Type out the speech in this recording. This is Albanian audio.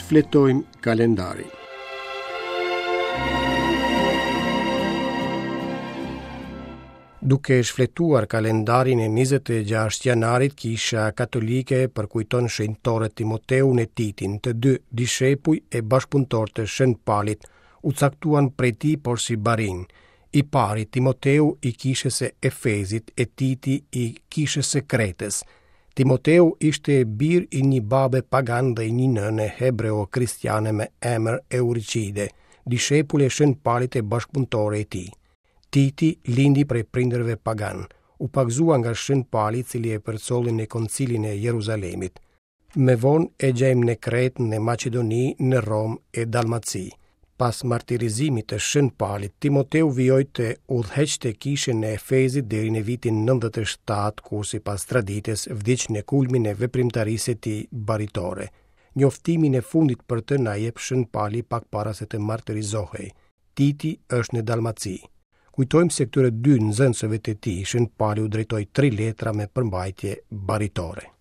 Shfletojmë kalendarin. Duke shfletuar kalendarin e 26 janarit, Kisha Katolike përkujton shenjtorët Timoteun e Titin, të dy dishepuj e bashkëpunëtorë të Shën Palit, u caktuan prej tij porsi barinj. I pari Timoteu i kishës së Efezit e Titi i kishës së Kretës. Timoteu ishte bir i një babe pagan dhe i një nëne hebreo-kristiane me emër Euricide, dishepule e Shën Palit e bashkëpunëtore e tij. Titi lindi prej prindërve paganë, u pagëzua nga Shën Pali i cili e përcolli në Koncilin e Jeruzalemit. Më vonë e gjejmë në Kretë, në Maqedoni, në Romë e Dalmaci. Pas martirizimit të Shën Palit, Timoteu vijoi të udhëheqte kishën e Efezit deri në vitin 97, ku sipas traditës vdiq në kulmin e veprimtarisë së tij baritore. Njoftimin e fundit për të na jep Shën Pali pak para se të martirizohej. Titi është në Dalmaci. Kujtojmë se këtyre dy nxënësve të tij, Shën Pali u drejtoi tri letra me përmbajtje baritore.